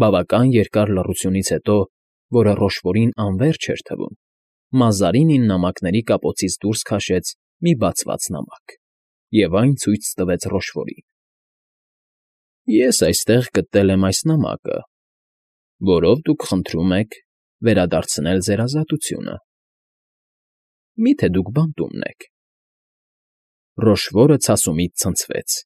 Բավական երկար լռությունից հետո, որը Ռոշֆորին անվերջ էր թվում, Մազարինին նամակների կապոցից դուրս քաշեց մի բացված նամակ և այն ցույց տվեց Ռոշֆորին։ Ես այստեղ գտել եմ այս նամակը, որով դուք խնդրում եք վերադարձնել ձեր ազատությունը. միթե դուք բանտումն եք… Ռոշֆորը ցասումից ցնցվեց։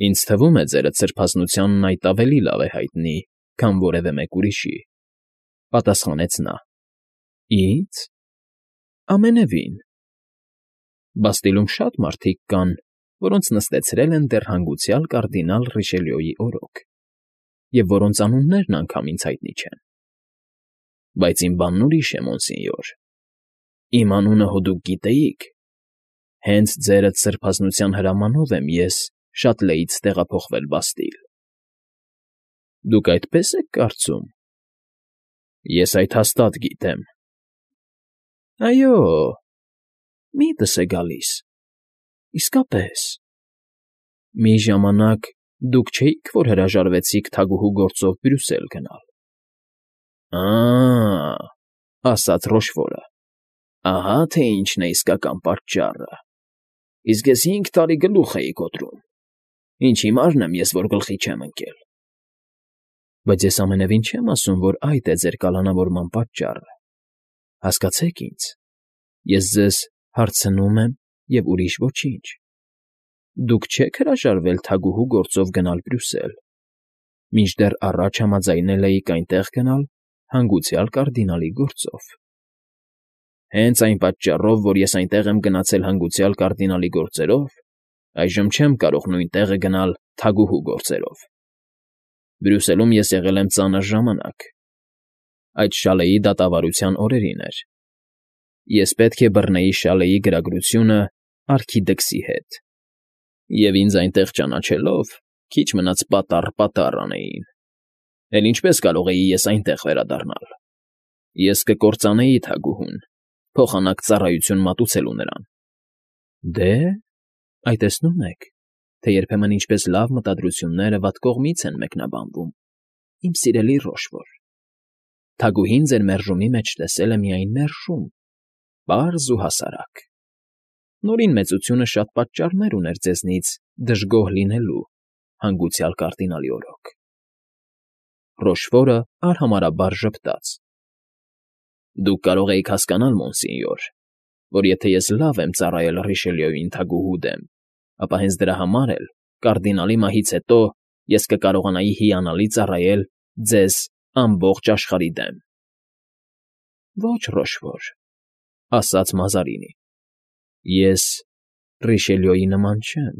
Ինձ թվում է, ձերդ սրբազնությանն այդ ավելի լավ է հայտնի, քան որևէ մեկ ուրիշի, պատասխանեց նա։ Ի՞նձ… Ամենևին… Բաստիլում շատ մարդիկ կան, որոնց նստեցրել են դեռ հանգուցյալ կարդինալ Ռիշելյոյի օրոք, և որոնց անուններն անգամ ինձ հայտնի չեն։ Բայց իմ բանն ուրիշ է, մոնսինյոր, իմ անունը հո դուք գիտեիք… Հենց ձերդ սրբազնության հրամանով եմ ես Շատլեից տեղափոխվել Բաստիլ։ Դուք այդպե՞ս եք կարծում։ Ես այդ հաստատ գիտեմ։ Այո, միտս է գալիս… Իսկապես… Մի ժամանակ դուք չէիք, որ հրաժարվեցիք թագուհու գործով Բրյուսել գնալ։ Ա՜, ասաց Ռոշֆորը, ահա թե ինչն է իսկական պատճառը… Իսկ ես 5 տարի գլուխ էի կոտրում… Ինչ հիմարն եմ ես, որ գլխի չեմ ընկել… Բայց ես ամենևին չեմ ասում, որ այդ է ձեր կալանավորման պատճառը… Հասկացեք ինձ, ես ձեզ հարցնում եմ և ուրիշ ոչինչ… Դուք չեք հրաժարվել թագուհու գործով գնալ Բրյուսել, մինչդեռ առաջ համաձայնել էիք այնտեղ գնալ հանգուցյալ կարդինալի գործով… Հենց այն պատճառով, որ ես այնտեղ եմ գնացել հանգուցյալ կարդինալի գործերով, այժմ չեմ կարող նույն տեղը գնալ թագուհու գործերով… Բրյուսելում ես եղել եմ ծանր ժամանակ… Այդ Շալեի դատավարության օրերին էր… Ես պետք է բռնեի Շալեի գրագրությունը արքիդքսի հետ… Եվ ինձ այնտեղ ճանաչելով, քիչ մնաց պատառ անեին… Էլ ինչպե՞ս կարող էի ես այնտեղ վերադառնալ… Ես կկործանեի թագուհուն, փոխանակ ծառայություն մատուցելու նրան… Դե, այ տեսնում եք, թե երբեմն ինչպես լավ մտադրությունները վատ կողմից են մեկնաբանվում, իմ սիրելի Ռոշֆոր… Թագուհին ձեր մերժումի մեջ տեսել է միայն մերժում, պարզ ու հասարակ… Նորին մեծությունը շատ պատճառներ ուներ ձեզնից դժգոհ լինելու հանգուցյալ կարդինալի օրոք… Ռոշֆորը արհամարհաբար ժպտաց. Դուք կարող էիք հասկանալ, մոնսինյոր, որ եթե ես լավ եմ ծառայել Ռիշելյոյին թագուհու դեմ, ապա հենց դրա համար էլ, կարդինալի մահից հետո, ես կկարողանայի հիանալի ծառայել ձեզ ամբողջ աշխարհի դեմ… Ոչ, Ռոշֆոր, ասաց Մազարինին, ես Ռիշելյոյի նման չեմ,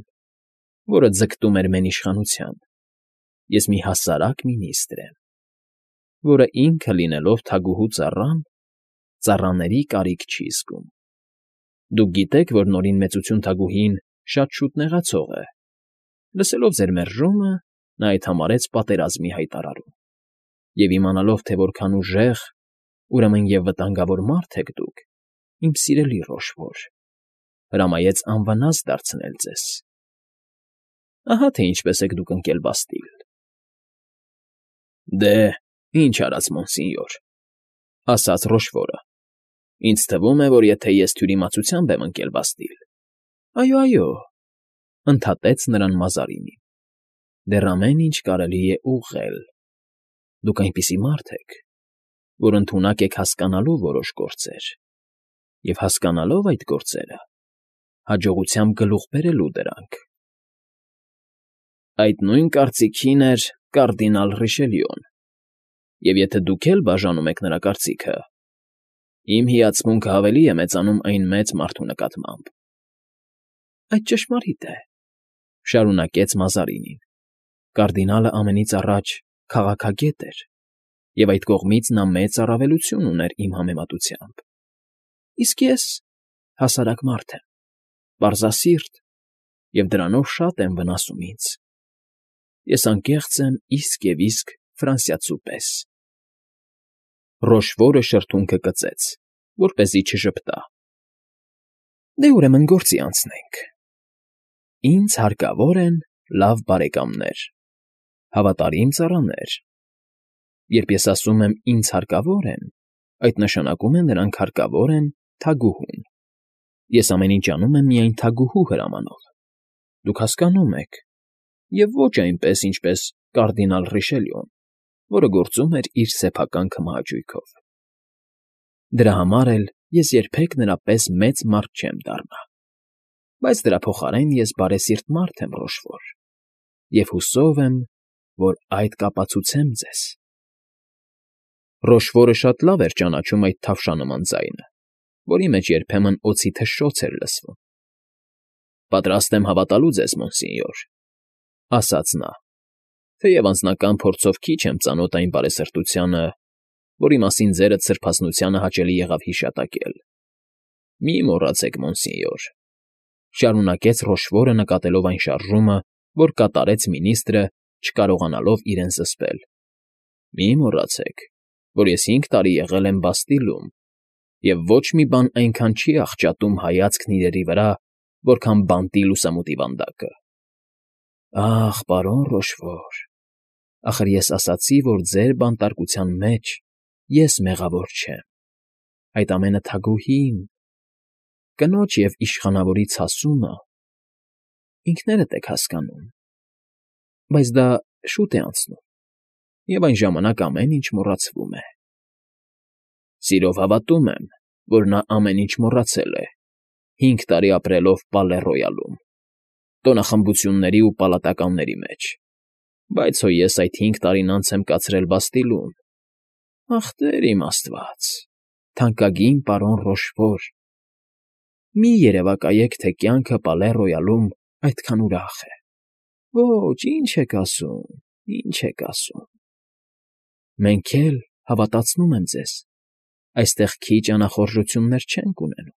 որը ձգտում էր մենիշխանության… Ես մի հասարակ մինիստր եմ, որը ինքը լինելով թագուհու ծառան, ծառաների կարիք չի զգում… Դուք գիտեք, որ Նորին Մեծություն թագուհին շատ շուտ նեղացող է… Լսելով ձեր մերժումը, նա այդ համարեց պատերազմի հայտարարում… Եվ իմանալով, թե որքան ուժեղ, ուրեմն և վտանգավոր մարդ եք դուք, իմ սիրելի Ռոշֆոր, հրամայեց անվնաս դարձնել ձեզ… Ահա թե ինչպես եք դուք ընկել Բաստիլ… Դե, ինչ արած, մոնսինյոր, ասաց Ռոշֆորը, ինձ թվում է, որ եթե ես թյուրիմացությամբ եմ ընկել Բաստիլ… Այո, այո, ընդհատեց նրան Մազարինին, դեռ ամեն ինչ կարելի է ուղղել… Դուք այնպիսի մարդ եք, որ ընդունակ եք հասկանալու որոշ գործեր և, հասկանալով այդ գործերը, հաջողությամբ գլուխ բերելու դրանք… Այդ նույն կարծիքին էր կարդինալ Ռիշելյոն, և եթե դուք էլ բաժանում եք նրա կարծիքը, իմ հիացմունքը ավելի է մեծանում այն մեծ մարդու նկատմամբ… Այդ ճշմարիտ է, շարունակեց Մազարինին, կարդինալը ամենից առաջ քաղաքագետ էր, և այդ կողմից նա մեծ առավելություն ուներ իմ համեմատությամբ… Իսկ ես հասարակ մարդ եմ, պարզասիրտ, և դրանով շատ եմ վնասում ինձ… Ես անկեղծ եմ իսկ և իսկ ֆրանսիացու պես… Ռոշֆորը շրթունքը կծեց, որպեսզի չժպտա… Դե, ուրեմն գործի անցնենք… Ինձ հարկավոր են լավ բարեկամներ, Հավատարիմ ծառաներ։ Երբ ես ասում եմ «ինձ հարկավոր են», այդ նշանակում է նրանք հարկավոր են թագուհուն։ Ես ամեն ինչ անում եմ միայն թագուհու հրամանով։ Դուք հասկանում եք, և ոչ այնպես, ինչպես կարդինալ Ռիշելյուն, որը գործում էր իր սեփական քմահաճույքով։ Դրա համար էլ ես երբեք նրա պես մեծ մարդ չեմ դառնա, բայց դրա փոխարեն ես բարեսիրտ մարդ եմ, Ռոշֆոր, և հուսով եմ, որ այդ կապացուցեմ ձեզ։ Ռոշֆորը շատ լավ էր ճանաչում այդ թավշանման ձայնը, որի մեջ երբեմն օձի թշշոց էր լսվում։ Պատրաստ եմ հավատալու ձեզ, մոնսինյոր, ասաց նա, թեև անձնական փորձով քիչ եմ ծանոթ այն բարեսրտությանը, որի մասին ձերդ սրբազնությանը հաճելի եղավ հիշատակել։ Մի մոռացեք, մոնսինյոր, շարունակեց Ռոշֆորը նկատելով այն շարժումը, որ կատարեց մինիստրը, չկարողանալով իրեն զսպել։ Մի մոռացեք, որ ես 5 տարի եղել եմ Բաստիլում, և ոչ մի բան այնքան չի աղճատում հայացքն իրերի վրա, որքան բանտի լուսամուտի վանդակը։ Ախ, պարոն Ռոշֆոր, ախր ես ասացի, որ ձեր բանտարկության մեջ ես մեղավոր չեմ, այդ ամենը թագուհին, կնոջ և իշխանավորի ցասումը, ինքներդ եք հասկանում, բայց դա շուտ է անցնում, և այն ժամանակ ամեն ինչ մոռացվում է։ Սիրով հավատում եմ, որ նա ամեն ինչ մոռացել է, 5 տարի ապրելով Պալե֊Ռոյալում, տոնախմբությունների ու պալատականների մեջ, բայց հո ես այդ 5 տարին անց եմ կացրել Բաստիլում։ Ախ, Տեր իմ Աստված, թանկագին պարոն Ռոշֆոր, մի երևակայեք, թե կյանքը Պալե֊Ռոյալում այդքան ուրախ է։ Ոչ, ինչ եք ասում, ինչ եք ասում։ Մենք էլ, հավատացնում եմ ձեզ, այստեղ քիչ անախորժություններ չենք ունենում։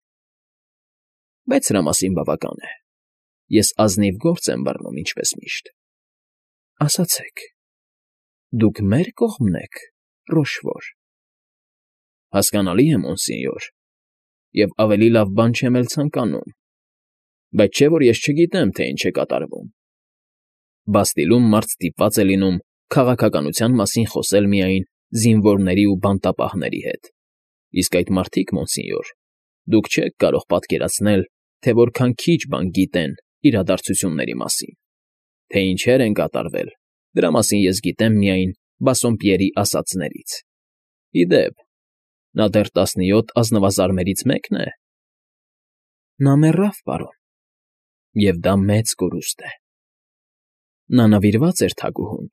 Բայց սրա մասին բավական է։ Ես ազնիվ գործ եմ բռնում, ինչպես միշտ։ Ասացեք, դուք մե՞ր կողմն եք, Ռոշֆոր։ Հասկանալի է, մոնսինյոր, և ավելի լավ բան չեմ էլ ցանկանում, բայց չէ՞ որ ես չգիտեմ, թե ինչ է կատարվում։ Բաստիլում մարդ ստիպված է լինում քաղաքականության մասին խոսել միայն զինվորների ու բանտապահների հետ, իսկ այդ մարդիկ, մոնսինյոր, դուք չեք կարող պատկերացնել, թե որքան քիչ բան գիտեն իրադարձությունների մասին, թե ինչեր են կատարվել, դրա մասին ես գիտեմ միայն Բասսոմպիերի ասածներից։ Ի դեպ, նա դեռ 17 ազնվազարմերից մեկն է։ Նա մեռավ, պարոն, և դա մեծ կորուստ է։ Նա նվիրված էր թագուհուն,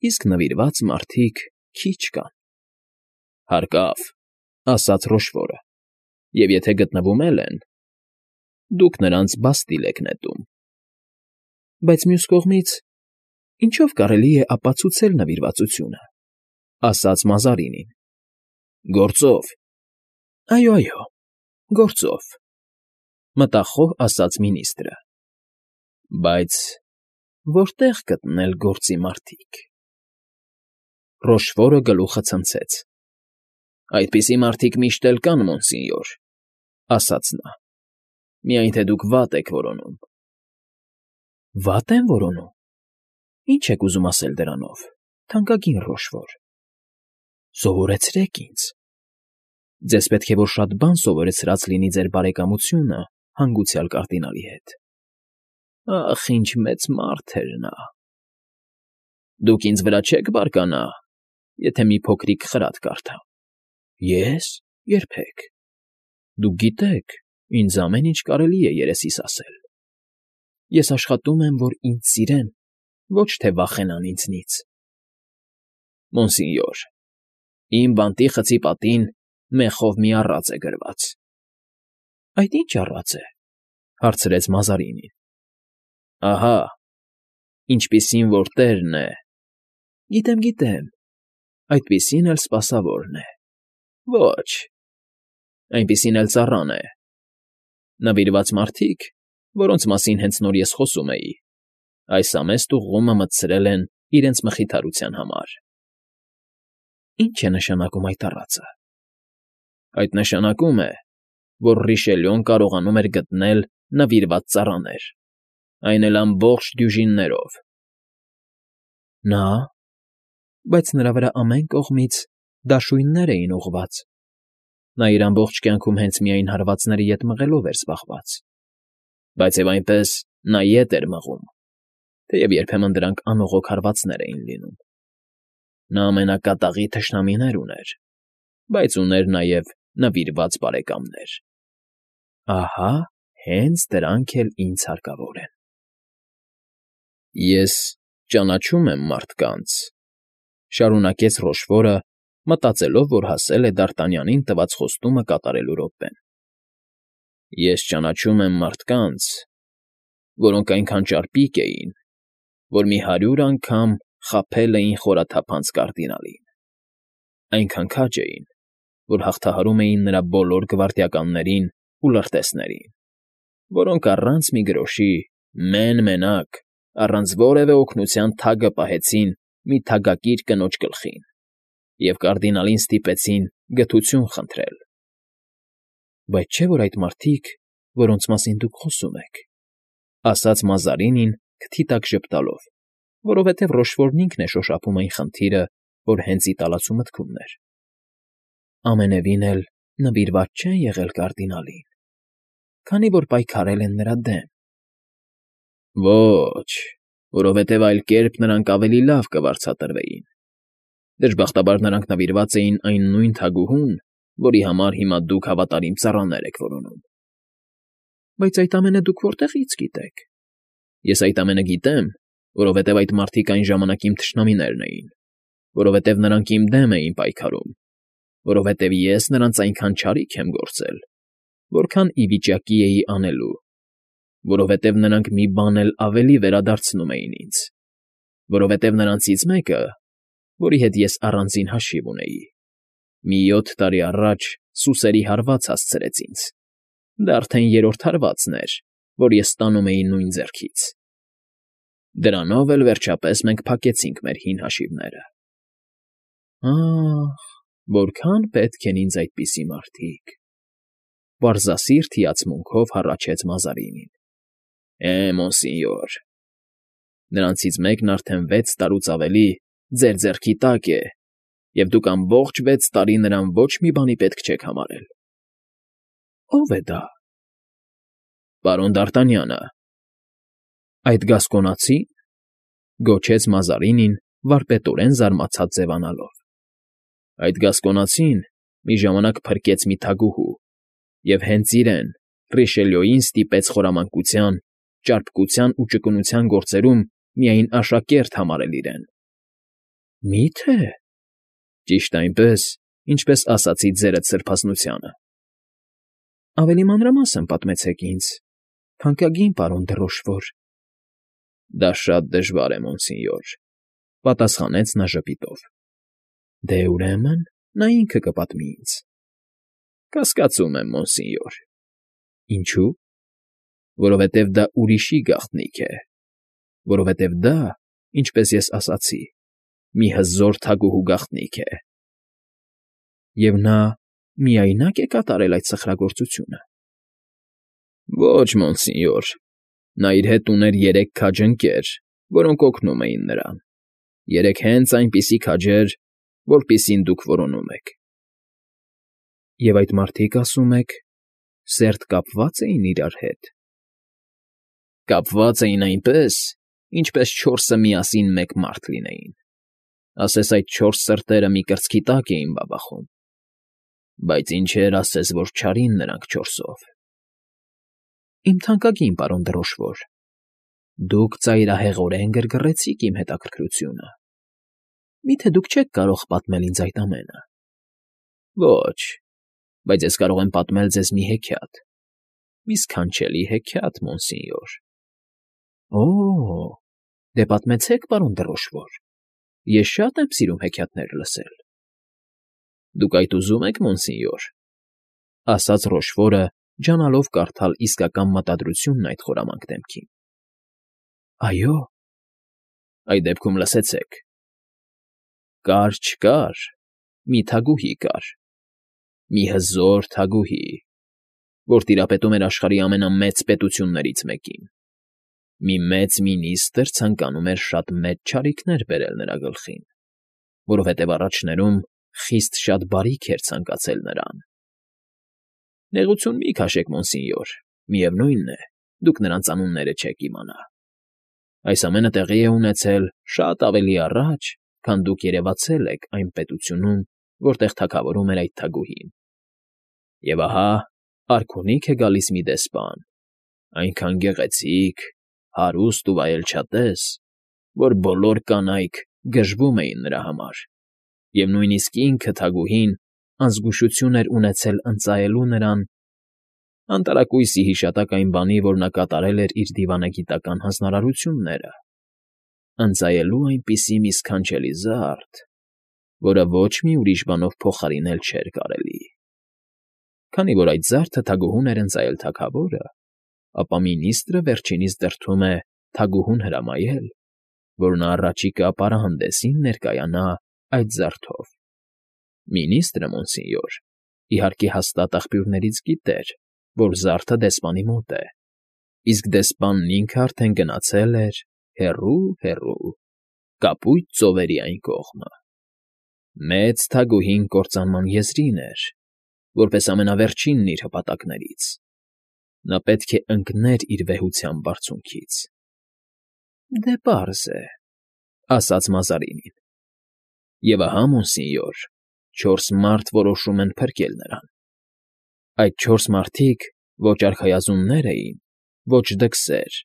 իսկ նվիրված մարդիկ քիչ կան։ Հարկավ, ասաց Ռոշֆորը, և եթե գտնվում էլ են, դուք նրանց Բաստիլ եք նետում։ Բայց մյուս կողմից, ինչո՞վ կարելի է ապացուցել նվիրվածությունը, ասաց Մազարինին։ Գործով։ Այո, գործով, մտախոհ ասաց մինիստրը։ Բայց որտե՞ղ գտնել գործի մարդիկ։ Ռոշֆորը գլուխը ցնցեց։ Այդպիսի մարդիկ միշտ էլ կան, մոնսինյոր, ասաց նա, միայն թե դուք վատ եք որոնում։ Վատ եմ որոնում։ Ինչ եք ուզում ասել դրանով, թանկագին Ռոշֆոր։ Սովորեցրեք ինձ։ Ձեզ պետք է որ շատ բան սովորեցրած լինի ձեր բարեկամությունը հանգուցյալ կարդինալի հետ։ Ախ, ինչ մեծ մարդ էր նա։ Դուք ինձ վրա չեք բարկանա, եթե մի փոքրիկ խրատ կարդամ։ Ես։ Երբեք։ Դուք գիտեք, ինձ ամեն ինչ կարելի է երեսիս ասել։ Ես աշխատում եմ, որ ինձ սիրեն, ոչ թե վախենան ինձնից։ Մոնսինյոր, իմ բանտի խցի պատին մեխով մի առած է գրված։ Այդ ի՞նչ առած է, հարցրեց Մազարինին։ Ահա, ինչպիսին որ տերն է։ Գիտեմ, այդպիսին էլ սպասավորն է։ Ոչ, այնպիսին էլ ծառան է։ Նվիրված մարդիկ, որոնց մասին հենց նոր ես խոսում էի, այս ամեստ ուղղումը մտցրել են իրենց մխիթարության համար։ Ինչ է նշանակում այդ առածը։ Այդ նշանակում է, որ Ռիշելյոն կարողանում էր գտնել նվիրված ծառաներ, այն էլ ամբողջ դյուժիններով։ Նա, բայց նրա վրա ամեն կողմից դաշույններ էին ուղղված. նա իր ամբողջ կյանքում հենց միայն հարվածների ետ մղելով էր զբաղված, բայց և այնպես նա ետ էր մղում, թեև երբեմն դրանք անողոք հարվածներ էին լինում։ Նա ամենակատաղի թշնամիներ ուներ, բայց ուներ նաև նվիրված բարեկամներ։ Ահա հենց դրանք էլ ինձ հարկավոր են։ Ես ճանաչում եմ մարդկանց, շարունակեց Ռոշֆորը, մտածելով, որ հասել է Դ'Արտանյանին տված խոստումը կատարելու րոպեն։ Ես ճանաչում եմ մարդկանց, որոնք այնքան ճարպիկ էին, որ մի 100 անգամ խաբել էին խորաթափանց կարդինալին, այնքան քաջ էին, որ հաղթահարում էին նրա բոլոր գվարդիականներին ու լրտեսներին, որոնք առանց մի գրոշի, մեն֊մենակ, առանց որևէ օգնության թագը պահեցին մի թագակիր կնոջ գլխին և կարդինալին ստիպեցին գթություն խնդրել։ Բայց չէ՞ որ այդ մարդիկ, որոնց մասին դուք խոսում եք, ասաց Մազարինին քթի տակ ժպտալով, որովհետև Ռոշֆորն ինքն է շոշափում այն խնդիրը, որ հենց Իտալացու մտքումն էր, ամենևին էլ նվիրված չեն եղել կարդինալին, քանի որ պայքարել են նրա դեմ։ Ոչ, որովհետև այլ կերպ նրանք ավելի լավ կվարձատրվեին։ Դժբախտաբար նրանք նվիրված էին այն նույն թագուհուն, որի համար հիմա դուք հավատարիմ ծառաներ եք որոնում։ Բայց այդ ամենը դուք որտեղի՞ց գիտեք։ Ես այդ ամենը գիտեմ, որովհետև այդ մարդիկ այն ժամանակ իմ թշնամիներն էին, որովհետև նրանք իմ դեմ էին պայքարում, որովհետև ես նրանց այնքան չարիք եմ գործել, որքան ի վիճակի էի անելու, որովհետև նրանք մի բան էլ ավելի վերադարձնում էին ինձ, որովհետև նրանցից մեկը, որի հետ ես առանձին հաշիվ ունեի, մի 7 տարի առաջ սուսերի հարված հասցրեց ինձ, դա արդեն 3-րդ հարվածն էր, որ ես ստանում էի նույն ձեռքից։ Դրանով էլ վերջապես մենք փակեցինք մեր հին հաշիվները։ Ահ, որքան պետք են ինձ այդպիսի մարդիկ, պարզասիրտ հիացմունքով հառաչեց Մազարինին։ Մոնսինյոր, նրանցից մեկն արդեն 6 տարուց ավելի ձեր ձեռքի տակ է, և դուք ամբողջ 6 տարի նրան ոչ մի բանի պետք չեք համարել։ Ո՞վ է դա։ Պարոն Դ'Արտանյանը։ Այդ գասկոնացի՞ն,֊ գոչեց Մազարինին, վարպետորեն զարմացած ձևանալով։ Այդ գասկոնացին մի ժամանակ փրկեց մի թագուհու և հենց իրեն, Ռիշելյոյին ստիպեց խորամանկության, ճարպկության ու ճկունության գործերում միայն աշակերտ համարել իրեն։ Մի՞թե։ Ճիշտ այնպես, ինչպես ասացի ձերդ սրբազնությանը։ Ավելի մանրամասն պատմեցեք ինձ, թանկագին պարոն դը Ռոշֆոր։ Դա շատ դժվար է, մոնսինյոր, պատասխանեց նա ժպիտով։ Դե ուրեմն նա ինքը կպատմի ինձ։ Կասկածում եմ, մոնսինյոր։ Ինչու։ Որովհետև դա ուրիշի գաղտնիք է, որովհետև դա, ինչպես ես ասացի, մի հզոր թագուհու գաղտնիք է։ Եվ նա միայնակ է կատարել այդ սխրագործությունը։ Ոչ, մոնսինյոր, նա իր հետ ուներ 3 քաջ ընկեր, որոնք օգնում էին նրան, 3 հենց այնպիսի քաջեր, որպիսին դուք որոնում եք։ Եվ այդ մարդիկ, ասում եք, սերտ կապված էին իրար հետ։ Կապված էին այնպես, ինչպես 4-ը միասին մեկ մարդ լինեին։ Ասես այդ 4 սրտերը մի կրծքի տակ էին բաբախում։ Բայց ինչեր ասես, որ չարին նրանք 4-ով։ Իմ թանկագին պարոն դը Ռոշվոր, դուք ծայրահեղորեն գրգռեցիք իմ հետաքրքրությունը։ Միթե դուք չեք կարող պատմել ինձ այդ ամենը։ Ոչ, բայց ես կարող եմ պատմել ձեզ մի հեքիաթ, մի սքանչելի հեքիաթ, մոնսինյոր։ Օ՜, դե պատմեցեք, պարոն դը Ռոշվոր, ես շատ եմ սիրում հեքիաթներ լսել։ Դուք այդ ուզում եք, մոնսինյոր, ասաց Ռոշվորը, ջանալով կարդալ իսկական մտադրությունն այդ խորամանկ դեմքին։ Այո։ Այդ դեպքում լսեցեք։ Կար չկար, մի թագուհի կար, մի հզոր թագուհի, որ տիրապետում էր աշխարհի ամենամեծ պետություններից մեկին։ Մի մեծ մինիստրը ցանկանում էր շատ մեծ չարիքներ բերել նրա գլխին, որովհետև առաջներում խիստ շատ բարիք էր ցանկացել նրան։ Նեղություն մի քաշեք, մոնսինյոր, միևնույն է, դուք նրանց անունները չեք իմանա։ Այս ամենը տեղի է ունեցել շատ ավելի առաջ, քան դուք երևացել եք այն պետությունում, որտեղ թագավորում էր այդ թագուհին։ Եվ ահա արքունիք է գալիս մի դեսպան, այնքան գեղեցիկ, հարուստ ու վայելչատես, որ բոլոր կանայք գժվում էին նրա համար, և նույնիսկ ինքը թագուհին անզգուշություն էր ունեցել ընծայելու նրան անտարակույսի հիշատակ այն բանի, որ նա կատարել էր իր դիվանագիտական հանձնարարությունները, ընծայելու այնպիսի մի սքանչելի զարդ, որը ոչ մի ուրիշ բանով փոխարինել չէր կարելի։ Քանի որ այդ զարդը թագուհուն էր ընծայել թագավորը, ապա մինիստրը վերջինիս դրդում է թագուհուն հրամայել, որ նա առաջիկա պարահանդեսին ներկայանա այդ զարդով։ Մինիստրը, մոնսինյոր, իհարկե հաստատ աղբյուրներից գիտեր, որ զարդը դեսպանի մոտ է, իսկ դեսպանն ինքը արդեն գնացել էր հեռու, կապույտ ծովերի այն կողմը։ Մեծ թագուհին կործանման եզրին էր, որպես ամենավերջինն իր հպատակներից։ Նա պետք է ընկներ իր վեհության բարձունքից։ ֊ Դե պարզ է,֊ ասաց Մազարինին։ Եվ ահա, մոնսինյոր, 4 մարդ որոշում են փրկել նրան։ Այդ 4 մարդիկ ոչ արքայազուններ էին, ոչ դքսեր,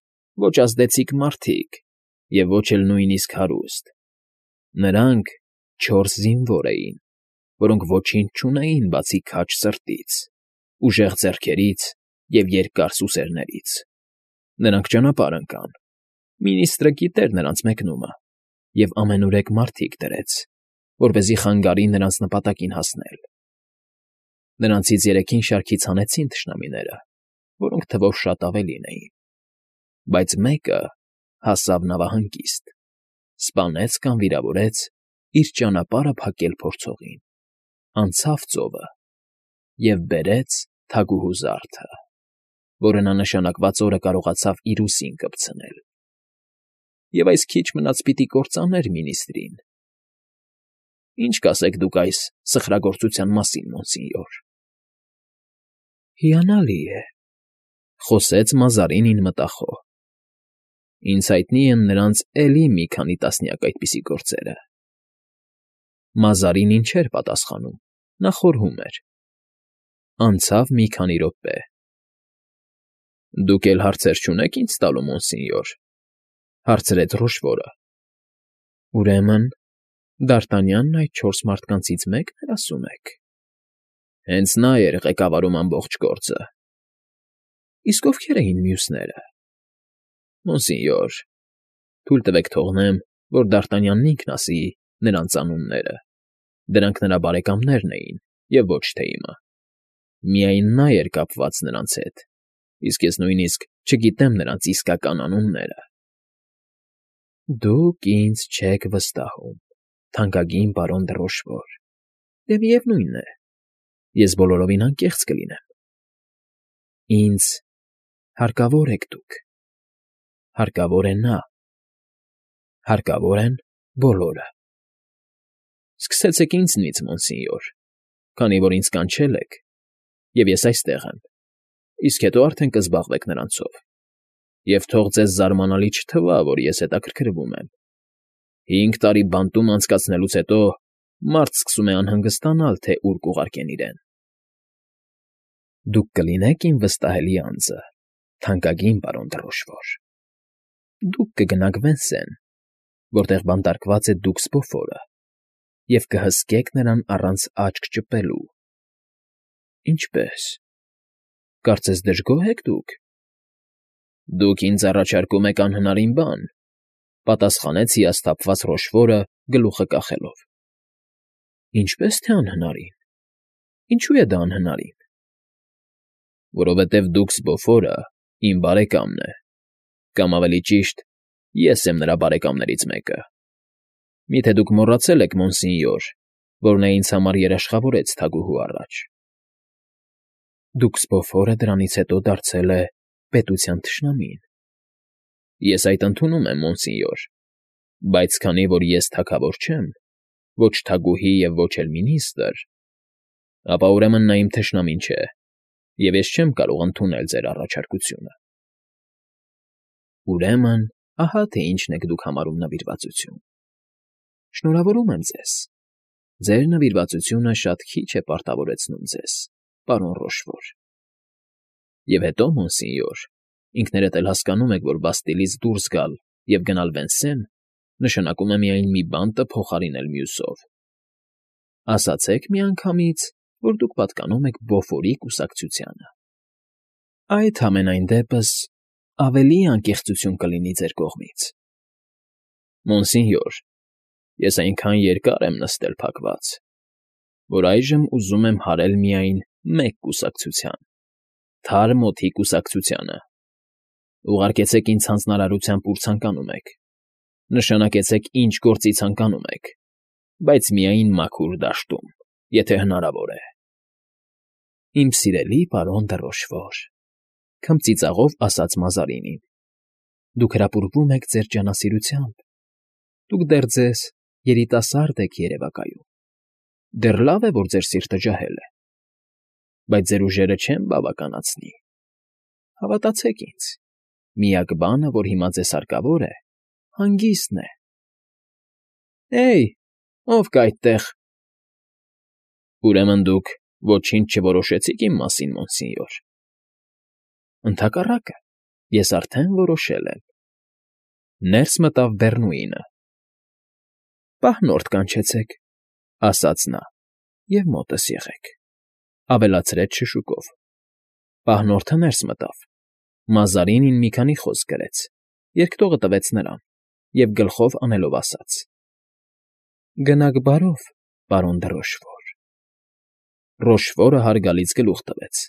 ոչ ազդեցիկ մարդիկ և ոչ էլ նույնիսկ հարուստ։ Նրանք 4 զինվոր էին, որոնք ոչինչ չունեին բացի քաջ սրտից, ուժեղ ձեռքերից և երկար սուսերներից։ Նրանք ճանապարհ ընկան։ Մինիստրը գիտեր նրանց մեկնումը և ամենուրեք մարդիկ դրեց, որպեսզի խանգարի նրանց նպատակին հասնել։ Նրանցից 3-ին շարքից հանեցին թշնամիները, որոնք թվով շատ ավելին էին, բայց մեկը հասավ նավահանգիստ, սպանեց կամ վիրավորեց իր ճանապարհը փակել փորձողին, անցավ ծովը և բերեց թագուհու զարդը, որը նա նշանակված օրը կարողացավ իր ուսին կպցնել։ Եվ այս քիչ մնաց պիտի կործաներ մինիստրին։ Ինչ կասեք դուք այս սխրագործության մասին, մոնսինյոր։ ֊ Հիանալի է,֊ խոսեց Մազարինին մտախոհ։ Ինձ հայտնի են նրանց էլի մի քանի տասնյակ այդպիսի գործերը։ Մազարինին չէր պատասխանում, նա խորհում էր։ Անցավ մի քանի րոպե։ ֊ Դուք էլ հարցեր չունեք ինձ տալու, մոնսինյոր,֊ հարցրեց Ռոշվորը։ ֊ Ուրեմն Դ'Արտանյանն այդ 4 մարդկանցից մեկն էր, ասում եք։ ֊ Հենց նա էր ղեկավարում ամբողջ գործը։ ֊ Իսկ ովքեր էին մյուսները։ ֊ Մոնսինյոր, թույլ տվեք թողնեմ, որ Դ'Արտանյանն ինքն ասի նրանց անունները. դրանք նրա բարեկամներն էին և ոչ թե իմը։ Միայն նա էր կապված նրանց հետ, իսկ ես նույնիսկ չգիտեմ նրանց իսկական անունները։ ֊ Դուք ինձ չեք վստահում, թանկագին պարոն դը Ռոշվոր, դե միևնույն է, ես բոլորովին անկեղծ կլինեմ։ Ինձ հարկավոր եք դուք, հարկավոր է նա, հարկավոր են բոլորը։ Սկսեցեք ինձնից, մոնսինյոր, քանի որ ինձ կանչել եք, և ես այստեղ եմ, իսկ հետո արդեն կզբաղվեք նրանցով։ Եվ թող ձեզ զարմանալի չթվա, որ ես հետաքրքրվում եմ։ 5 տարի բանտում անցկացնելուց հետո մարդ սկսում է անհանգստանալ, թե ուր կուղարկեն իրեն։ Դուք կլինեք իմ վստահելի անձը, թանկագին պարոն դը Ռոշվոր։ Դուք կգնաք Վենսեն, որտեղ բանտարկված է դուքս Բոֆորը, և կհսկեք նրան առանց աչք ճպելու։ ֊ Ինչպե՞ս, կարծես դժգոհ եք դուք։ ֊ Դուք ինձ առաջարկում եք անհնարին բան,֊ պատասխանեց հիասթափված Ռոշվորը, գլուխը կախելով։ ֊ Ինչպե՞ս թե անհնարին։ Ինչու է դա անհնարին։ ֊ Որովհետև դուքս Բոֆորը իմ բարեկամն է, կամ ավելի ճիշտ, ես եմ նրա բարեկամներից մեկը։ Մի՞թե դուք մոռացել եք, մոնսինյոր, որ նա ինձ համար երաշխավորեց թագուհու առաջ։ Դուքս Բոֆորը դրանից հետո դարձել է պետության թշնամին։ Ես այդ ընդունում եմ, մոնսինյոր, բայց քանի որ ես թագավոր չեմ, ոչ թագուհի և ոչ էլ մինիստր, ապա ուրեմն նա իմ թշնամին չէ, և ես չեմ կարող ընդունել ձեր առաջարկությունը։ Ուրեմն, ահա թե ինչն եք դուք համարում նվիրվածություն։ Շնորհավորում եմ ձեզ։ Ձեր նվիրվածությունը շատ քիչ է պարտավորեցնում ձեզ, պարոն Ռոշվոր։ Եվ հետո, մոնսինյոր, ինքներդ էլ հասկանում եք, որ Բաստիլից դուրս գալ և գնալ Վենսեն նշանակում է միայն մի բանտը փոխարինել մյուսով։ Ասացեք միանգամից, որ դուք պատկանում եք Բոֆորի կուսակցությանը։ Այդ համենայն դեպս ավելի անկեղծություն կլինի ձեր կողմից։ Մոնսինյոր, ես այնքան երկար եմ նստել փակված, որ այժմ ուզում եմ հարել միայն մեկ կուսակցության, թարմ օդի կուսակցությանը։ Ուղարկեցեք ինձ հանձնարարությամբ ուր ցանկանում եք, նշանակեցեք ինչ գործի ցանկանում եք, բայց միայն մաքուր դաշտում, եթե հնարավոր է։ Իմ սիրելի պարոն դը Ռոշվոր, քմծիծաղով ասաց Մազարինին, դուք հրապուրվում եք ձեր ջանասիրությամբ, դուք դեռ ձեզ երիտասարդ եք երևակայում, դեռ լավ է, որ ձեր սիրտը ջահել է, բայց ձեր ուժերը չեն բավականացնի։ Հավատացեք ինձ, միակ բանը, որ հիմա ձեզ հարկավոր է, հանգիստն է։ Էյ, ով կա այդտեղ։ Ուրեմն դուք ոչինչ չորոշեցիք իմ մասին, մոնսինյոր։ Ընդհակառակը, ես արդեն որոշել եմ։ Ներս մտավ Բեռնուինը։ Պահնորդ կանչեցեք, ասաց նա, և մոտս եղեք, ավելացրեց շշուկով։ Պահնորդը ներս մտավ։ Մազարինին մի քանի խոսք գրեց, երկտողը տվեց նրան և գլխով անելով ասաց. Գնաք բարով, պարոն դը Ռոշվոր։ Ռոշվորը հարգալից գլուխ տվեց։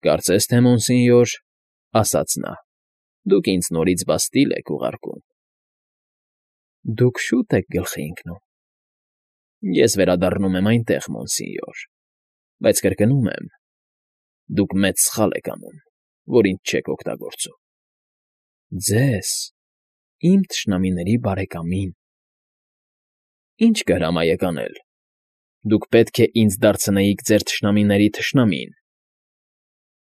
Կարծես թե, մոնսինյոր, ասաց նա, դուք ինձ նորից Բաստիլ եք ուղարկում։ Դուք շուտ եք գլխի ընկնում։ Ես վերադառնում եմ այնտեղ, մոնսինյոր, բայց կրկնում եմ, դուք մեծ սխալ եք անում, որ ինձ չեք օգտագործում։ Ձեզ, իմ թշնամիների բարեկամին։ Ինչ կհրամայեք անել։ Դուք պետք է ինձ դարձնեիք ձեր թշնամիների թշնամին։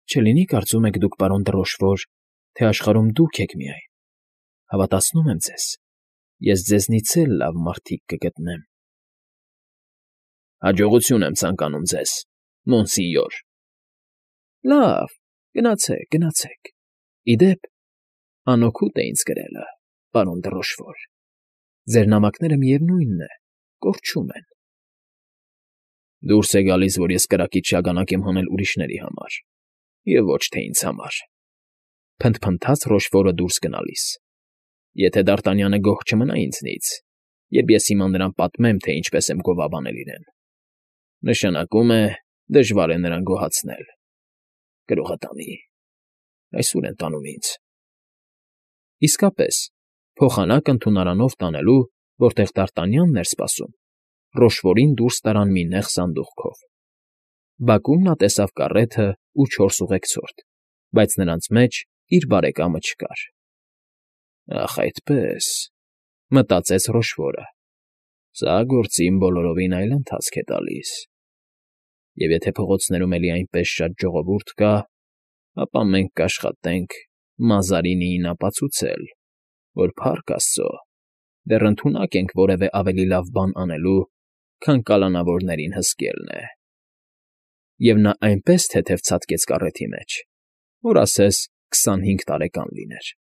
Չլինի կարծում եք դուք, պարոն դը Ռոշվոր, թե աշխարհում դուք եք միայն։ Հավատացնում եմ ձեզ, ես ձեզնից էլ լավ մարդիկ կգտնեմ։ Հաջողություն եմ ցանկանում ձեզ, մոնսինյոր։ Լավ, գնացեք, գնացեք։ Ի դեպ, անօգուտ է ինձ գրելը, պարոն դը Ռոշվոր։ Ձեր նամակները միևնույնն է, կորչում են։ Դուրս է գալիս, որ ես կրակից շագանակ եմ հանել ուրիշների համար, և ոչ թե ինձ համար, փնթփնթաց Ռոշվորը դուրս գնալիս։ Եթե Դարտանյանը գոհ չմնա ինձնից, երբ ես հիմա նրան պատմեմ, թե ինչպես եմ գովաբանել իրեն, նշանակում է, դժվար է նրան գոհացնել։ Գրողը տանի, այսօր են տանում ինձ։ Իսկապես, փոխանակ ընդունարանով տանելու, որտեղ Դարտանյանն էր սպասում, Ռոշվորին դուրս տարան մի նեղ սանդուղքով։ Բակում նա տեսավ կառեթը ու 4 ուղեկցորդ, բայց նրանց մեջ իր բարեկամը չկար։ Ախ, այդպես, մտածեց Ռոշվորը, սա գործին բոլորովին այլ ընթացք է տալիս։ Եվ եթե փողոցներում էլի այնպես շատ ժողովուրդ կա, ապա մենք կաշխատենք Մազարինիին ապացուցել, որ փառք Աստծո, դեռ ընդունակ ենք որևէ ավելի լավ բան անելու, քան կալանավորներին հսկելն է։ Եվ նա այնպես թեթև ցատկեց կառեթի մեջ, որ ասես 25 տարեկան լիներ։